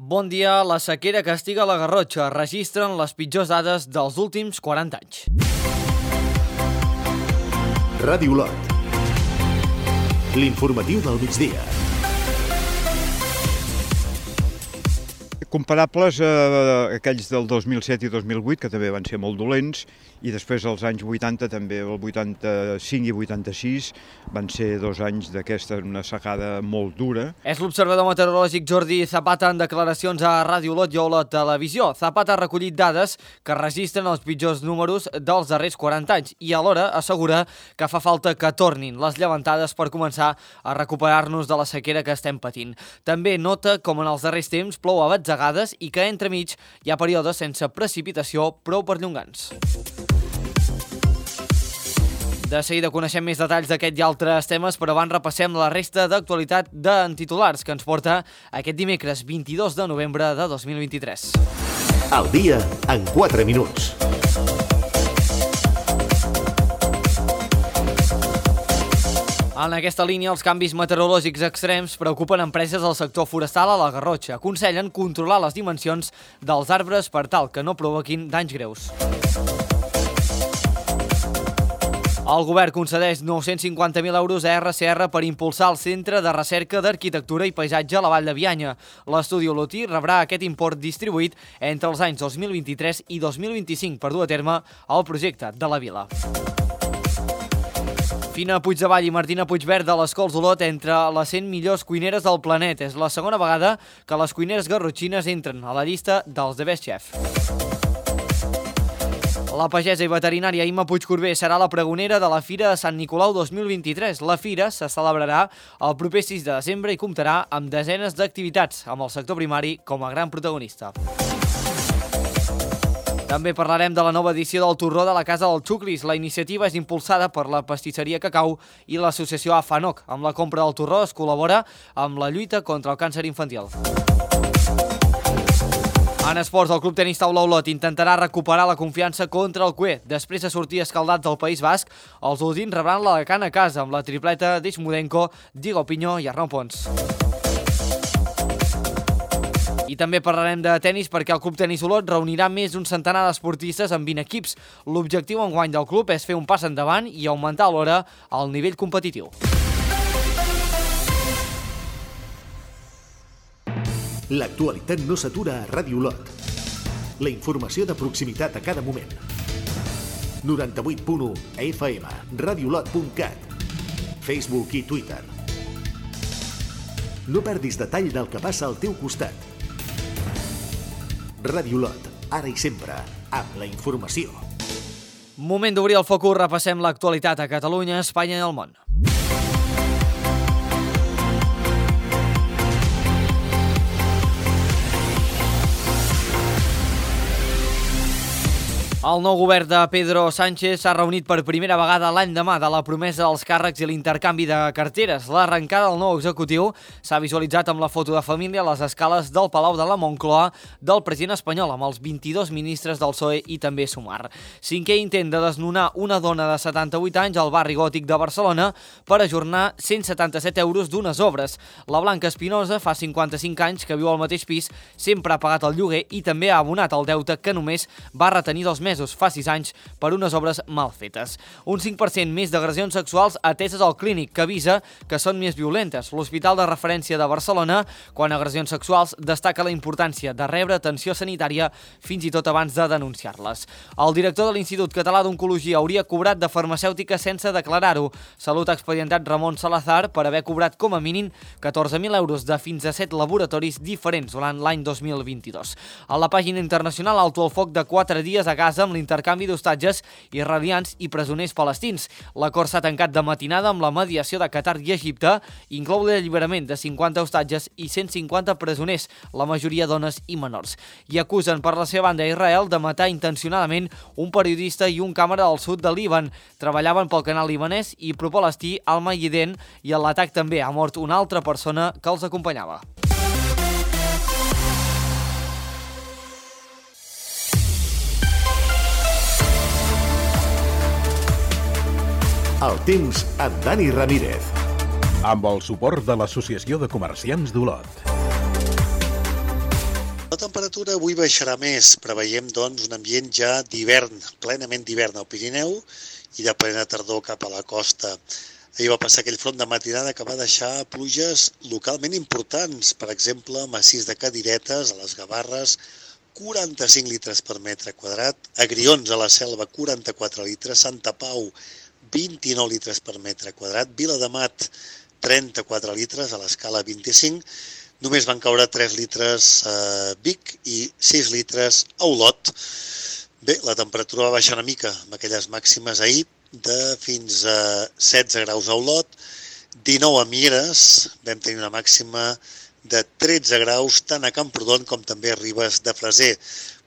Bon dia. La sequera castiga la Garrotxa. Registren les pitjors dades dels últims 40 anys. Ràdio Olot. L'informatiu del migdia. Comparables a aquells del 2007 i 2008, que també van ser molt dolents, i després els anys 80, també el 85 i 86, van ser 2 anys d'aquesta, una secada molt dura. És l'observador meteorològic Jordi Zapata en declaracions a Ràdio Olot i a Olot Televisió. Zapata ha recollit dades que registren els pitjors números dels darrers 40 anys i alhora assegura que fa falta que tornin les llevantades per començar a recuperar-nos de la sequera que estem patint. També nota com en els darrers temps plou a batzegades i que entremig hi ha períodes sense precipitació prou perllongants. De seguida coneixem més detalls d'aquest i altres temes, però abans repassem la resta d'actualitat d'en titulars que ens porta aquest dimecres 22 de novembre de 2023. El dia en 4 minuts. En aquesta línia, els canvis meteorològics extrems preocupen empreses del sector forestal a la Garrotxa. Aconsellen controlar les dimensions dels arbres per tal que no provoquin danys greus. El govern concedeix 950.000 euros a RCR per impulsar el Centre de Recerca d'Arquitectura i Paisatge a la Vall de Bianya. L'estudi Olotí rebrà aquest import distribuït entre els anys 2023 i 2025 per dur a terme el projecte de la vila. Fina Puigdevall i Martina Puigverd de les Cols d'Olot entre les 100 millors cuineres del planeta. És la segona vegada que les cuineres garrotxines entren a la llista dels The Best Chef. La pagesa i veterinària Imma Puigcorbé serà la pregonera de la Fira de Sant Nicolau 2023. La fira se celebrarà el proper 6 de desembre i comptarà amb desenes d'activitats, amb el sector primari com a gran protagonista. També parlarem de la nova edició del Torró de la Casa del Xuclis. La iniciativa és impulsada per la pastisseria Cacau i l'associació AFANOC. Amb la compra del torró es col·labora amb la lluita contra el càncer infantil. En esports, el Club Tenis Taula Olot intentarà recuperar la confiança contra el CUE. Després de sortir escaldats del País Basc, els olotins rebran l'Alacant a casa amb la tripleta d'Ixmudenko, Diego Piño i Arnau Pons. I també parlarem de tenis perquè el Club Tenis Olot reunirà més d'un centenar d'esportistes amb 20 equips. L'objectiu enguany del club és fer un pas endavant i augmentar alhora el nivell competitiu. L'actualitat no s'atura a Ràdio Olot. La informació de proximitat a cada moment. 98.1 FM, radiolot.cat, Facebook i Twitter. No perdis detall del que passa al teu costat. Ràdio Olot, ara i sempre, amb la informació. Moment d'obrir el focus, repassem l'actualitat a Catalunya, Espanya i el món. El nou govern de Pedro Sánchez s'ha reunit per primera vegada l'endemà de la promesa dels càrrecs i l'intercanvi de carteres. L'arrencada del nou executiu s'ha visualitzat amb la foto de família a les escales del Palau de la Moncloa del president espanyol, amb els 22 ministres del PSOE i també Sumar. Cinquè intent de desnonar una dona de 78 anys al barri gòtic de Barcelona per ajornar 177 euros d'unes obres. La Blanca Espinosa fa 55 anys que viu al mateix pis, sempre ha pagat el lloguer i també ha abonat el deute que només va retenir 2 mesos fa 6 anys per unes obres mal fetes. Un 5% més d'agressions sexuals ateses al Clínic, que avisa que són més violentes. L'Hospital de Referència de Barcelona, quan agressions sexuals, destaca la importància de rebre atenció sanitària fins i tot abans de denunciar-les. El director de l'Institut Català d'Oncologia hauria cobrat de farmacèutica sense declarar-ho. Salut ha expedientat Ramon Salazar per haver cobrat com a mínim 14.000 euros de fins a 7 laboratoris diferents durant l'any 2022. A la pàgina internacional, alto el foc de 4 dies a Gaza amb l'intercanvi d'hostatges israelians i presoners palestins. L'acord s'ha tancat de matinada amb la mediació de Qatar i Egipte, inclou l'alliberament de 50 hostatges i 150 presoners, la majoria dones i menors. I acusen per la seva banda Israel de matar intencionadament un periodista i un càmera del sud del Líban. Treballaven pel canal libanès i pro-palestí Al-Mayeden i en l'atac també ha mort una altra persona que els acompanyava. El temps amb Dani Ramírez. Amb el suport de l'Associació de Comerciants d'Olot. La temperatura avui baixarà més, preveiem doncs un ambient ja d'hivern, plenament d'hivern al Pirineu i de plena tardor cap a la costa. Ahir va passar aquell front de matinada que va deixar pluges localment importants, per exemple, a Massís de Cadiretes, a les Gavarres, 45 litres per metre quadrat, a Grions, a la Selva, 44 litres, Santa Pau, 29 litres per metre quadrat, Viladamat, 34 litres, a l'escala 25, només van caure 3 litres a Vic i 6 litres a Olot. Bé, la temperatura va baixar una mica amb aquelles màximes ahir de fins a 16 graus a Olot, 19 a Mieres, vam tenir una màxima de 13 graus tant a Camprodon com també a Ribes de Freser.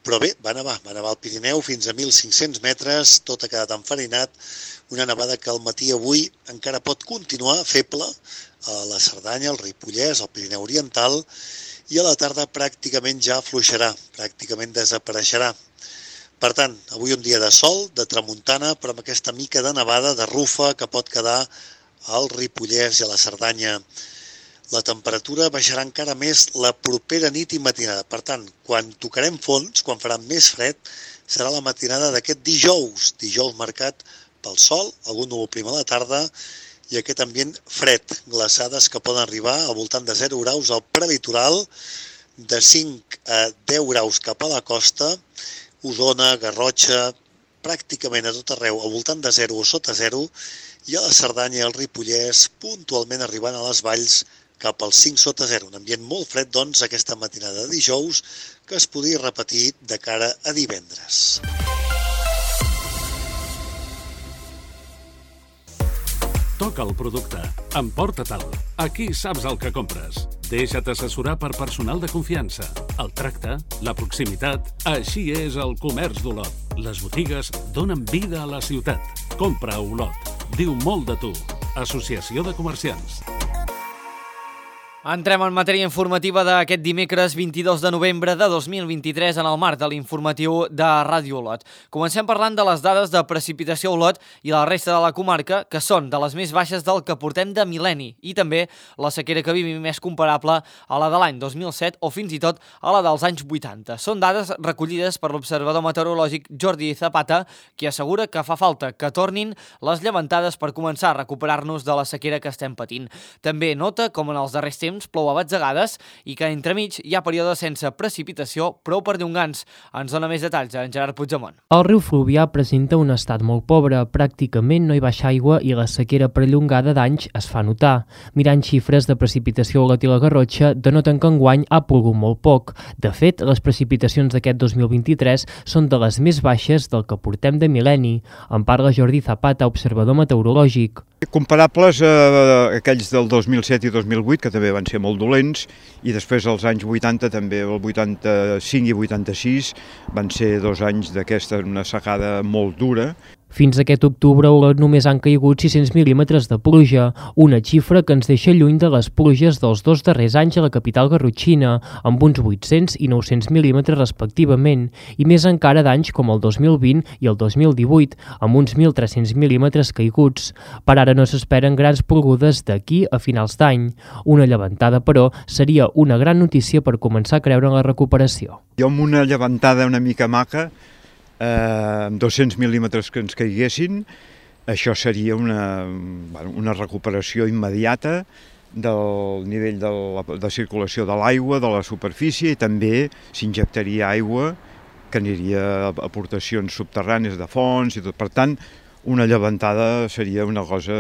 Però bé, va nevar al Pirineu fins a 1.500 metres, tot ha quedat enfarinat, una nevada que al matí avui encara pot continuar feble a la Cerdanya, al Ripollès, al Pirineu Oriental, i a la tarda pràcticament ja afluixarà, pràcticament desapareixerà. Per tant, avui un dia de sol, de tramuntana, però amb aquesta mica de nevada, de rufa, que pot quedar al Ripollès i a la Cerdanya. La temperatura baixarà encara més la propera nit i matinada. Per tant, quan tocarem fons, quan farà més fred, serà la matinada d'aquest dijous marcat pel sol, algun núvol prim a la tarda, i aquest ambient fred, glaçades que poden arribar al voltant de 0 graus al prelitoral, de 5 a 10 graus cap a la costa, Osona, Garrotxa, pràcticament a tot arreu al voltant de 0 o sota 0, i a la Cerdanya i al Ripollès puntualment arribant a les valls cap als 5 sota 0. Un ambient molt fred, doncs, aquesta matinada de dijous, que es podria repetir de cara a divendres. Toca el producte. Emporta-te'l. Aquí saps el que compres. Deixa't assessorar per personal de confiança. El tracte, la proximitat... Així és el comerç d'Olot. Les botigues donen vida a la ciutat. Compra a Olot. Diu molt de tu. Associació de Comerciants. Entrem en matèria informativa d'aquest dimecres 22 de novembre de 2023 en el marc de l'informatiu de Ràdio Olot. Comencem parlant de les dades de precipitació a Olot i la resta de la comarca, que són de les més baixes del que portem de mil·lenni, i també la sequera que vivim més comparable a la de l'any 2007 o fins i tot a la dels anys 80. Són dades recollides per l'observador meteorològic Jordi Zapata, qui assegura que fa falta que tornin les llevantades per començar a recuperar-nos de la sequera que estem patint. També nota com en els darrers temps plou a batzegades i que entremig hi ha períodes sense precipitació prou perllongants. Ens dona més detalls en Gerard Puigdemont. El riu Fluvià presenta un estat molt pobre, pràcticament no hi baixa aigua i la sequera perllongada d'anys es fa notar. Mirant xifres de precipitació a Olot i la Garrotxa, denoten que enguany ha plogut molt poc. De fet, les precipitacions d'aquest 2023 són de les més baixes del que portem de mil·lenni. En parla Jordi Zapata, observador meteorològic. Comparables a aquells del 2007 i 2008, que també van ser molt dolents, i després als anys 80, també el 85 i 86, van ser 2 anys d'aquesta, una secada molt dura. Fins aquest octubre a Olot només han caigut 600 mil·límetres de pluja, una xifra que ens deixa lluny de les pluges dels 2 darrers anys a la capital garrotxina, amb uns 800 i 900 mil·límetres respectivament, i més encara d'anys com el 2020 i el 2018, amb uns 1.300 mil·límetres caiguts. Per ara no s'esperen grans plogudes d'aquí a finals d'any. Una llevantada, però, seria una gran notícia per començar a creure en la recuperació. Jo amb una llevantada una mica maca, amb 200 mil·límetres que ens caiguessin, això seria una recuperació immediata del nivell de circulació de l'aigua, de la superfície, i també s'injectaria aigua que aniria a aportacions subterrànies de fonts i tot. Per tant, una llevantada seria una cosa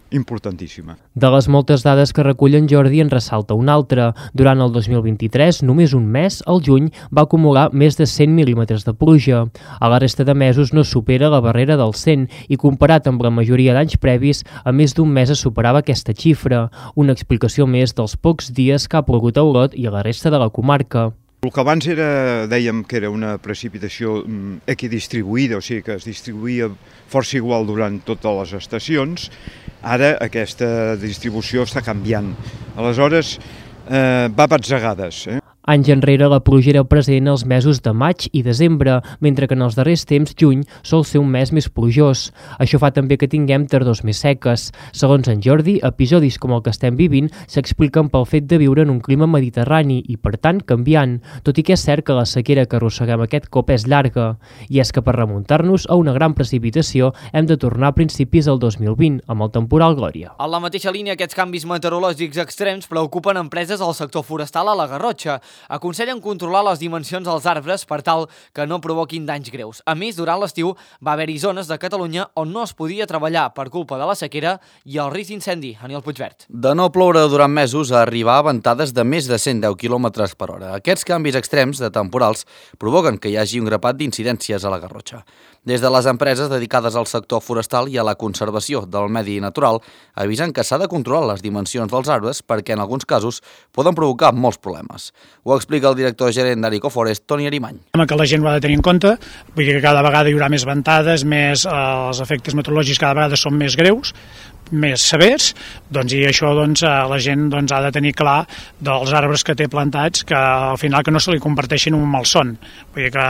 importantíssima. De les moltes dades que recullen, Jordi en ressalta una altra. Durant el 2023, només un mes, el juny, va acumular més de 100 mil·límetres de pluja. A la resta de mesos no supera la barrera del 100 i comparat amb la majoria d'anys previs, a més d'un mes es superava aquesta xifra. Una explicació més dels pocs dies que ha plogut a Olot i a la resta de la comarca. El que abans dèiem que era una precipitació equidistribuïda, o sigui que es distribuïa força igual durant totes les estacions, ara aquesta distribució està canviant. Aleshores, va a batzegades. Anys enrere la pluja era present als mesos de maig i desembre, mentre que en els darrers temps, juny, sol ser un mes més plujós. Això fa també que tinguem tardors més seques. Segons en Jordi, episodis com el que estem vivint s'expliquen pel fet de viure en un clima mediterrani i, per tant, canviant, tot i que és cert que la sequera que arrosseguem aquest cop és llarga. I és que per remuntar-nos a una gran precipitació hem de tornar a principis del 2020, amb el temporal Glòria. En la mateixa línia, aquests canvis meteorològics extrems preocupen empreses al sector forestal a la Garrotxa. Aconsellen controlar les dimensions dels arbres per tal que no provoquin danys greus. A més, durant l'estiu va haver-hi zones de Catalunya on no es podia treballar per culpa de la sequera i el risc d'incendi. Aniol Puigvert. De no ploure durant mesos a arribar a ventades de més de 110 km per hora. Aquests canvis extrems de temporals provoquen que hi hagi un grapat d'incidències a la Garrotxa. Des de les empreses dedicades al sector forestal i a la conservació del medi natural avisen que s'ha de controlar les dimensions dels arbres perquè en alguns casos poden provocar molts problemes. Ho explica el director gerent d'Aricoforest, Toni Arimany. Que la gent ho ha de tenir en compte, vull dir que cada vegada hi haurà més ventades, els efectes meteorològics cada vegada són més greus, més severs, i això la gent ha de tenir clar dels arbres que té plantats que al final que no se li converteixin en un malson. Vull dir que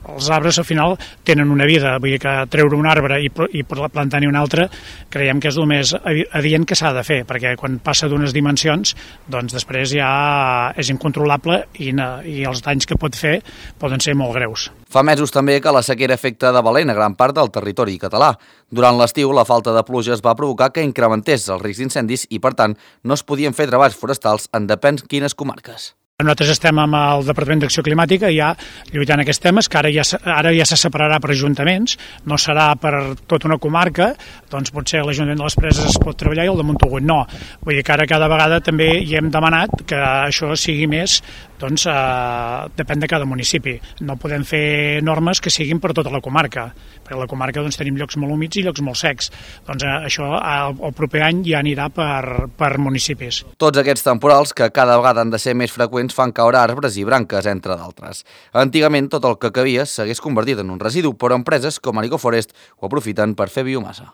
els arbres al final tenen una vida, vull dir que treure un arbre i plantar-ne un altre creiem que és el més adient que s'ha de fer, perquè quan passa d'unes dimensions després ja és incontrolable i els danys que pot fer poden ser molt greus. Fa mesos també que la sequera afecta de valent a gran part del territori català. Durant l'estiu, la falta de pluges va provocar que incrementés el risc d'incendis i, per tant, no es podien fer treballs forestals en depèn quines comarques. Nosaltres estem amb el Departament d'Acció Climàtica ja lluitant aquests temes, que ara ja se separarà per ajuntaments, no serà per tota una comarca, potser l'Ajuntament de les Preses es pot treballar i el de Montagut no. Vull dir que ara cada vegada també hi hem demanat que això sigui més, depèn de cada municipi. No podem fer normes que siguin per tota la comarca, perquè a la comarca tenim llocs molt humits i llocs molt secs. Això el proper any ja anirà per municipis. Tots aquests temporals, que cada vegada han de ser més freqüents, fan caure arbres i branques, entre d'altres. Antigament, tot el que cabia s'hagués convertit en un residu, però empreses com Aricoforest ho aprofiten per fer biomassa.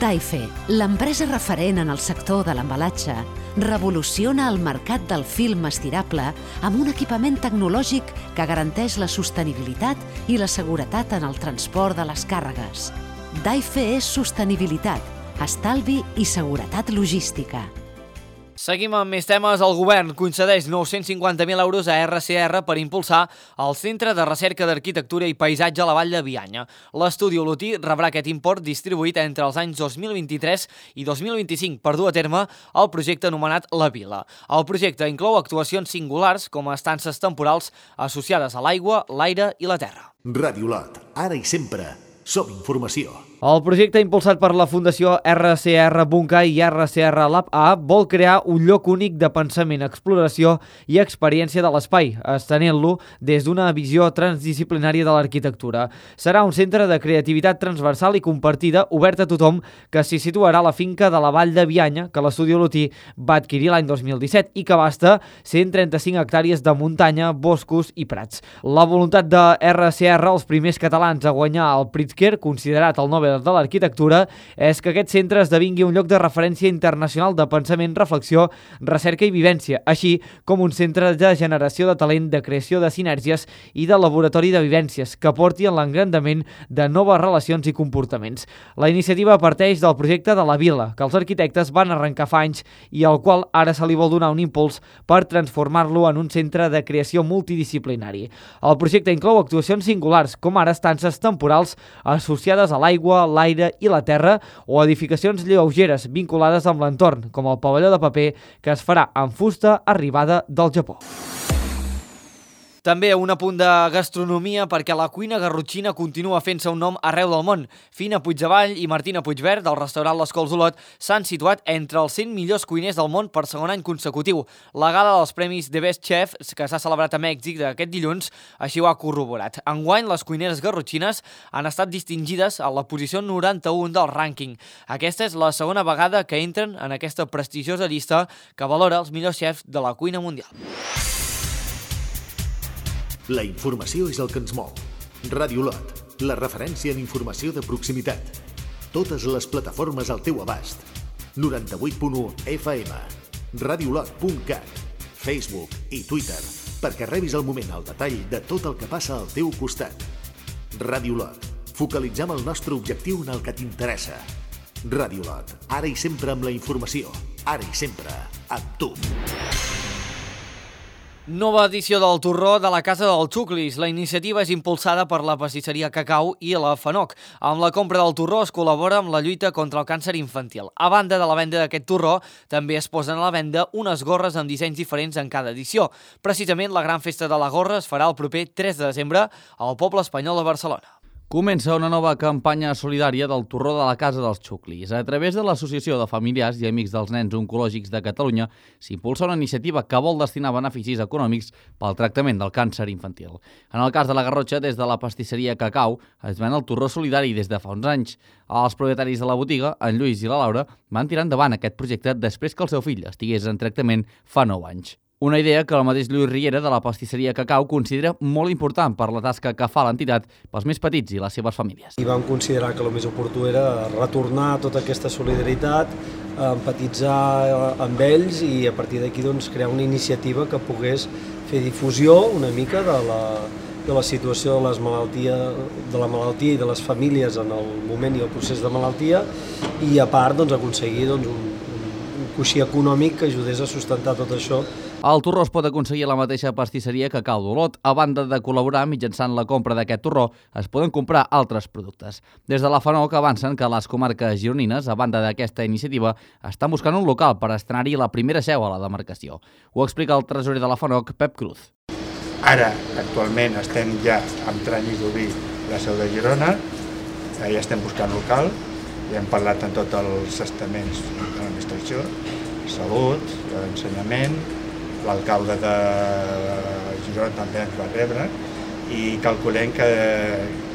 Daife, l'empresa referent en el sector de l'embalatge, revoluciona el mercat del film estirable amb un equipament tecnològic que garanteix la sostenibilitat i la seguretat en el transport de les càrregues. Daife és sostenibilitat, estalvi i seguretat logística. Seguim amb més temes. El govern concedeix 950.000 euros a RCR per impulsar el Centre de Recerca d'Arquitectura i Paisatge a la Vall de Bianya. L'estudi olotí rebrà aquest import distribuït entre els anys 2023 i 2025 per dur a terme el projecte anomenat La Vila. El projecte inclou actuacions singulars com a estances temporals associades a l'aigua, l'aire i la terra. Ràdio Lot, ara i sempre, som informació. El projecte impulsat per la Fundació RCR Bunca i RCR Lab A vol crear un lloc únic de pensament, exploració i experiència de l'espai, estenent-lo des d'una visió transdisciplinària de l'arquitectura. Serà un centre de creativitat transversal i compartida, obert a tothom, que s'hi situarà a la finca de la Vall de Bianya, que l'estudi olotí va adquirir l'any 2017 i que abasta 135 hectàrees de muntanya, boscos i prats. La voluntat de RCR, els primers catalans a guanyar el Pritzker, considerat el Nobel de l'Arquitectura, és que aquest centre esdevingui un lloc de referència internacional de pensament, reflexió, recerca i vivència, així com un centre de generació de talent, de creació de sinergies i de laboratori de vivències que porti a l'engrandament de noves relacions i comportaments. La iniciativa parteix del projecte de La Vila, que els arquitectes van arrencar fa anys i al qual ara se li vol donar un impuls per transformar-lo en un centre de creació multidisciplinari. El projecte inclou actuacions singulars, com ara estances temporals associades a l'aigua, l'aire i la terra, o edificacions lleugeres vinculades amb l'entorn, com el pavelló de paper que es farà en fusta arribada del Japó. També un apunt de gastronomia perquè la cuina garrotxina continua fent-se un nom arreu del món. Fina Puigdevall i Martina Puigvert, del restaurant Les Cols Olot, s'han situat entre els 100 millors cuiners del món per segon any consecutiu. La gala dels Premis The Best Chef, que s'ha celebrat a Mèxic d'aquest dilluns, així ho ha corroborat. Enguany, les cuineres garrotxines han estat distingides a la posició 91 del rànquing. Aquesta és la segona vegada que entren en aquesta prestigiosa llista que valora els millors xefs de la cuina mundial. La informació és el que ens mou. Ràdio Lot, la referència en informació de proximitat. Totes les plataformes al teu abast. 98.1 FM. radiolot.cat. Facebook i Twitter perquè rebis al moment el detall de tot el que passa al teu costat. Ràdio Lot. Focalitzem el nostre objectiu en el que t'interessa. Ràdio Lot. Ara i sempre amb la informació. Ara i sempre amb tu. Nova edició del Torró de la Casa dels Xuclis. La iniciativa és impulsada per la pastisseria Cacau i la FANOC. Amb la compra del torró es col·labora amb la lluita contra el càncer infantil. A banda de la venda d'aquest torró, també es posen a la venda unes gorres amb dissenys diferents en cada edició. Precisament, la gran festa de la gorra es farà el proper 3 de desembre al poble espanyol de Barcelona. Comença una nova campanya solidària del Torró de la Casa dels Xuclis. A través de l'Associació de Familiars i Amics dels Nens Oncològics de Catalunya s'impulsa una iniciativa que vol destinar beneficis econòmics pel tractament del càncer infantil. En el cas de la Garrotxa, des de la pastisseria Cacau, es ven el torró solidari des de fa uns anys. Els propietaris de la botiga, en Lluís i la Laura, van tirar endavant aquest projecte després que el seu fill estigués en tractament fa 9 anys. Una idea que el mateix Lluís Riera de la pastisseria Cacau considera molt important per la tasca que fa l'entitat pels més petits i les seves famílies. I vam considerar que el més oportú era retornar tota aquesta solidaritat, empatitzar amb ells i a partir d'aquí crear una iniciativa que pogués fer difusió una mica de la situació de la malaltia i de les famílies en el moment i el procés de malaltia i a part aconseguir un coixí econòmic que ajudés a sustentar tot això. El torró es pot aconseguir a la mateixa pastisseria Cacau d'Olot. A banda de col·laborar mitjançant la compra d'aquest torró, es poden comprar altres productes. Des de la FANOC avancen que les comarques gironines, a banda d'aquesta iniciativa, estan buscant un local per estrenar-hi la primera seu a la demarcació. Ho explica el tresorer de la FANOC, Pep Cruz. Ara, actualment, estem ja en tràmit d'obrir la seu de Girona, ja estem buscant local, ja hem parlat amb tots els estaments de l'administració, salut, ensenyament, l'alcalde de Girona també ens va rebre i calculem que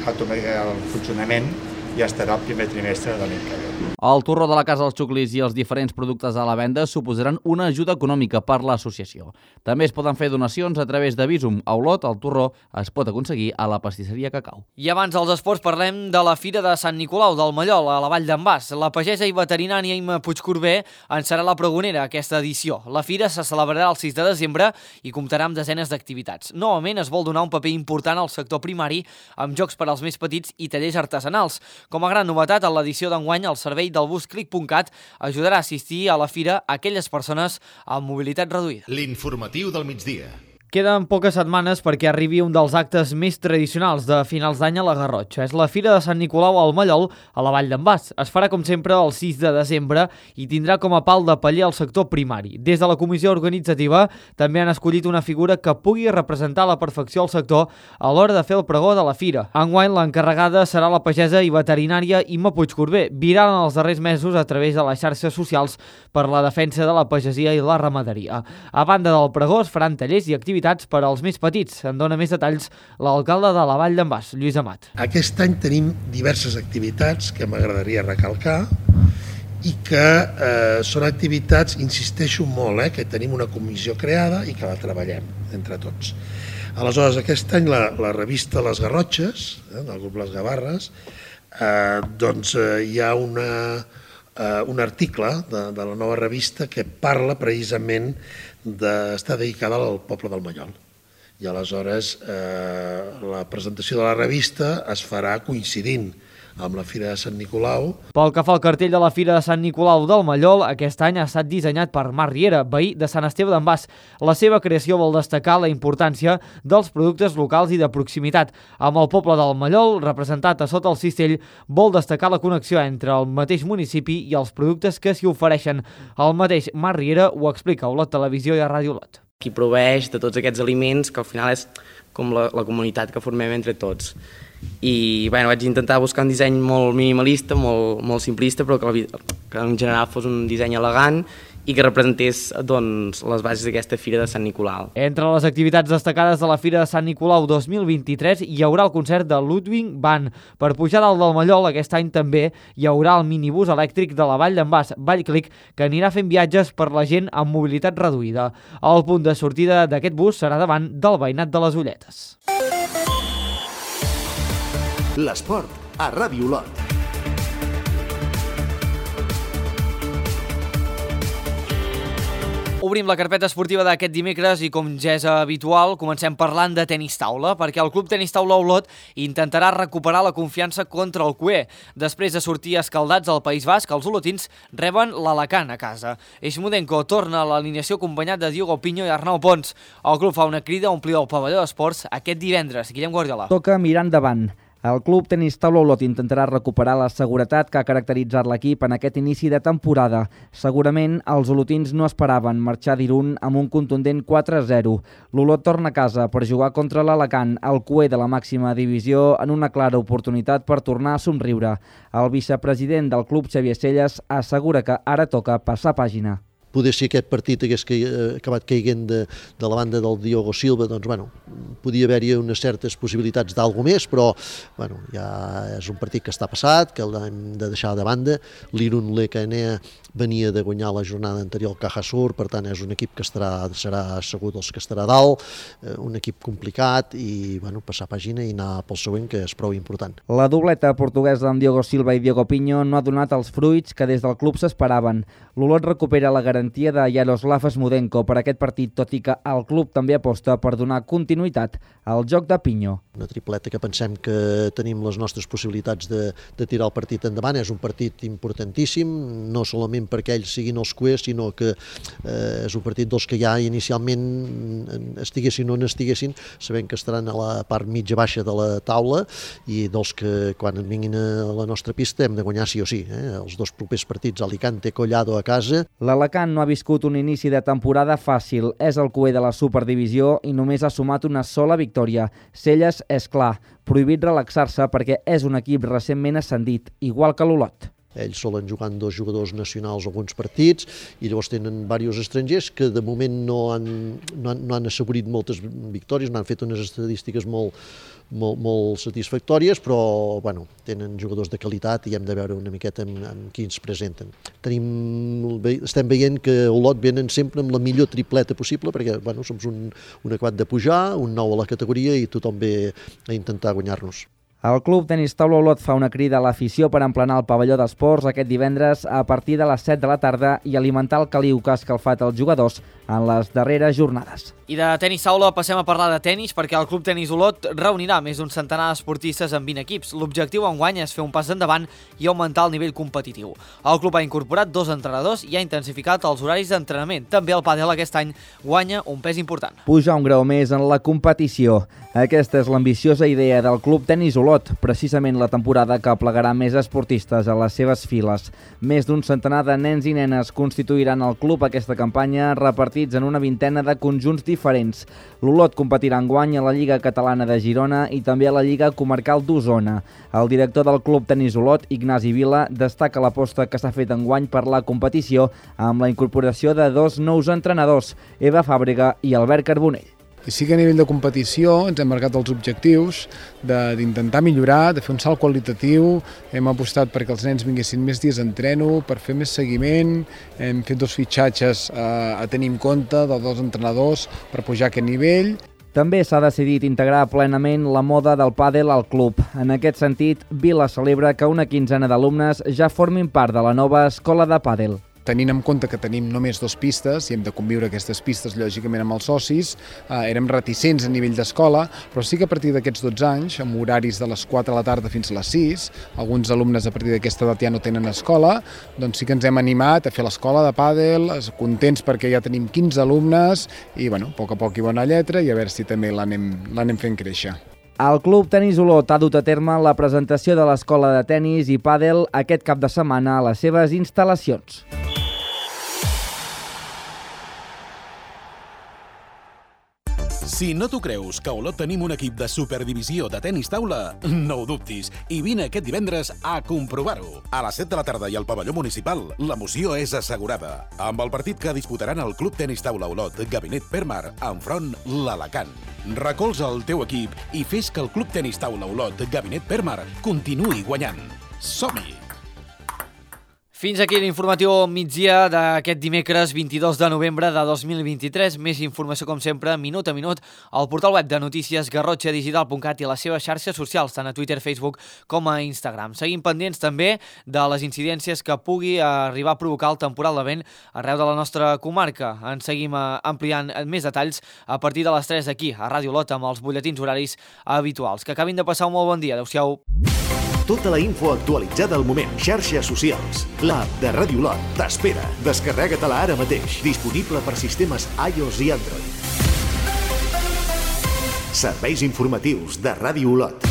el funcionament ja estarà el primer trimestre de l'any que ve. El torró de la Casa dels Xuclis i els diferents productes a la venda suposaran una ajuda econòmica per l'associació. També es poden fer donacions a través de Visum. A Olot, el torró es pot aconseguir a la pastisseria Cacau. I abans dels esports parlem de la Fira de Sant Nicolau del Mallol, a la Vall d'en Bas. La pagesa i veterinària Imma Puigcorbé en serà la pregonera aquesta edició. La fira se celebrarà el 6 de desembre i comptarà amb desenes d'activitats. Novament es vol donar un paper important al sector primari amb jocs per als més petits i tallers artesanals. Com a gran novetat, a l'edició d'enguany, el servei del bus Click.cat ajudarà a assistir a la fira a aquelles persones amb mobilitat reduïda. L'informatiu del migdia. Queden poques setmanes perquè arribi un dels actes més tradicionals de finals d'any a la Garrotxa. És la Fira de Sant Nicolau al Mallol, a la Vall d'en Bas. Es farà, com sempre, el 6 de desembre i tindrà com a pal de paller el sector primari. Des de la comissió organitzativa també han escollit una figura que pugui representar a la perfecció el sector a l'hora de fer el pregó de la fira. Enguany, l'encarregada serà la pagesa i veterinària Imma Puigcorbé, viral en els darrers mesos a través de les xarxes socials per la defensa de la pagesia i la ramaderia. A banda del pregó, es faran tallers i activitats per als més petits. En dona més detalls l'alcalde de la Vall d'en Bas, Lluís Amat. Aquest any tenim diverses activitats que m'agradaria recalcar i que són activitats, insisteixo molt, que tenim una comissió creada i que la treballem entre tots. Aleshores, aquest any la revista Les Garrotxes, del grup Les Gavarres, hi ha un article de la nova revista que parla precisament d'estar dedicada al poble del Mallol. I aleshores la presentació de la revista es farà coincidint amb la Fira de Sant Nicolau. Pel que fa al cartell de la Fira de Sant Nicolau del Mallol, aquest any ha estat dissenyat per Marc Riera, veí de Sant Esteve d'en Bas. La seva creació vol destacar la importància dels productes locals i de proximitat. Amb el poble del Mallol, representat a sota el cistell, vol destacar la connexió entre el mateix municipi i els productes que s'hi ofereixen. El mateix Marc Riera ho explica a Olot Televisió i a Ràdio Olot. Qui proveeix de tots aquests aliments, que al final és com la comunitat que formem entre tots. I vaig intentar buscar un disseny molt minimalista, molt simplista, però que en general fos un disseny elegant i que representés les bases d'aquesta Fira de Sant Nicolau. Entre les activitats destacades de la Fira de Sant Nicolau 2023 hi haurà el concert de Ludwig van. Per pujar dalt del Mallol, aquest any també hi haurà el minibús elèctric de la Vall d'en Bas, Vallclic, que anirà fent viatges per la gent amb mobilitat reduïda. El punt de sortida d'aquest bus serà davant del veïnat de les Ulletes. L'esport a Ràdio Olot. Obrim la carpeta esportiva d'aquest dimecres i, com ja és habitual, comencem parlant de tenis taula, perquè el Club Tenis Taula Olot intentarà recuperar la confiança contra el CUE. Després de sortir escaldats al País Basc, els olotins reben l'Alacant a casa. Eixmudenko torna a l'alineació acompanyat de Diogo Piño i Arnau Pons. El club fa una crida a omplir el pavelló d'esports aquest divendres. Guillem Guardiola. Toca mirar endavant. El Club Tenis Taula Olot intentarà recuperar la seguretat que ha caracteritzat l'equip en aquest inici de temporada. Segurament els olotins no esperaven marxar d'Irun amb un contundent 4-0. L'Olot torna a casa per jugar contra l'Alacant, el CUE de la màxima divisió, en una clara oportunitat per tornar a somriure. El vicepresident del club, Xavier Selles, assegura que ara toca passar pàgina. Poder si aquest partit hagués acabat caiguent de la banda del Diogo Silva, doncs, podia haver-hi unes certes possibilitats d'algú més, però, ja és un partit que està passat, que l'hem de deixar de banda. L'Irun Lecanea venia de guanyar la jornada anterior al Caja Sur, per tant, és un equip que serà segur dels que estarà dalt, un equip complicat i, passar pàgina i anar pel següent, que és prou important. La dobleta portuguesa amb Diogo Silva i Diogo Piño no ha donat els fruits que des del club s'esperaven. L'Olot recupera la garantia de Yaroslav Eixmudenko per aquest partit, tot i que el club també aposta per donar continuïtat al joc de Piño. Una tripleta que pensem que tenim les nostres possibilitats de tirar el partit endavant. És un partit importantíssim, no solament perquè ells siguin els CUE, sinó que és un partit dels que ja inicialment estiguessin o no estiguessin, sabent que estaran a la part mitja-baixa de la taula i dels que quan vinguin a la nostra pista hem de guanyar sí o sí. Els dos propers partits, Alicante, Collado a casa. L'Alacant no ha viscut un inici de temporada fàcil. És el CUE de la Superdivisió i només ha sumat una sola victòria. Selles és clar, prohibit relaxar-se perquè és un equip recentment ascendit, igual que l'Olot. Ells solen jugant 2 jugadors nacionals alguns partits i llavors tenen diversos estrangers que de moment no han assegurit moltes victòries, no han fet unes estadístiques molt satisfactòries, però tenen jugadors de qualitat i hem de veure una miqueta amb qui ens presenten. Estem veient que Olot venen sempre amb la millor tripleta possible perquè som un acabat de pujar, un nou a la categoria i tothom ve a intentar guanyar-nos. El Club Tenis Taula Olot fa una crida a l'afició per emplenar el pavelló d'esports aquest divendres a partir de les 7 de la tarda i alimentar el caliu que ha escalfat els jugadors en les darreres jornades. I de tenis taula passem a parlar de tenis perquè el Club Tenis Olot reunirà més d'un centenar d'esportistes amb 20 equips. L'objectiu enguany és fer un pas endavant i augmentar el nivell competitiu. El club ha incorporat 2 entrenadors i ha intensificat els horaris d'entrenament. També el pàdel aquest any guanya un pes important. Pujar un grau més en la competició. Aquesta és l'ambiciosa idea del Club Tenis Olot, precisament la temporada que aplegarà més esportistes a les seves files. Més d'un centenar de nens i nenes constituiran el club aquesta campanya, repartits en una vintena de conjunts diferents. L'Olot competirà enguany a la Lliga Catalana de Girona i també a la Lliga Comarcal d'Osona. El director del Club Tenis Olot, Ignasi Vila, destaca l'aposta que s'ha fet enguany per la competició amb la incorporació de 2 nous entrenadors, Eva Fàbrega i Albert Carbonell. Sí que a nivell de competició ens hem marcat els objectius d'intentar millorar, de fer un salt qualitatiu. Hem apostat perquè els nens vinguessin més dies d'entreno, per fer més seguiment. Hem fet 2 fitxatges a tenir en compte de 2 entrenadors per pujar aquest nivell. També s'ha decidit integrar plenament la moda del pàdel al club. En aquest sentit, Vila celebra que una quinzena d'alumnes ja formin part de la nova escola de pàdel. Tenint en compte que tenim només 2 pistes i hem de conviure aquestes pistes lògicament amb els socis, érem reticents a nivell d'escola, però sí que a partir d'aquests 12 anys, amb horaris de les 4 de la tarda fins a les 6, alguns alumnes a partir d'aquesta edat ja no tenen escola, doncs sí que ens hem animat a fer l'escola de pàdel, contents perquè ja tenim 15 alumnes i, a poc a poc i bona lletra i a veure si també l'anem fent créixer. El Club Tenis Olot ha dut a terme la presentació de l'escola de tenis i pàdel aquest cap de setmana a les seves instal·lacions. Si no t'ho creus que a Olot tenim un equip de superdivisió de tenis taula, no ho dubtis i vine aquest divendres a comprovar-ho. A les 7 de la tarda i al pavelló municipal, l'emoció és assegurada. Amb el partit que disputaran el Club Tenis Taula Olot, Gabinet Permar, enfront l'Alacant. Recolza el teu equip i fes que el Club Tenis Taula Olot, Gabinet Permar, continuï guanyant. Som-hi! Fins aquí l'informatiu migdia d'aquest dimecres 22 de novembre de 2023. Més informació, com sempre, minut a minut, al portal web de notícies garrotxadigital.cat i a les seves xarxes socials, tant a Twitter, Facebook com a Instagram. Seguim pendents també de les incidències que pugui arribar a provocar el temporal de vent arreu de la nostra comarca. En seguim ampliant més detalls a partir de les 3 aquí, a Ràdio Lot, amb els butlletins horaris habituals. Que acabin de passar un molt bon dia. Adéu-siau. Tota la info actualitzada al moment. Xarxes socials. L'app de Ràdio Lot t'espera. Descarrega-te-la ara mateix. Disponible per sistemes iOS i Android. Serveis informatius de Ràdio Lot.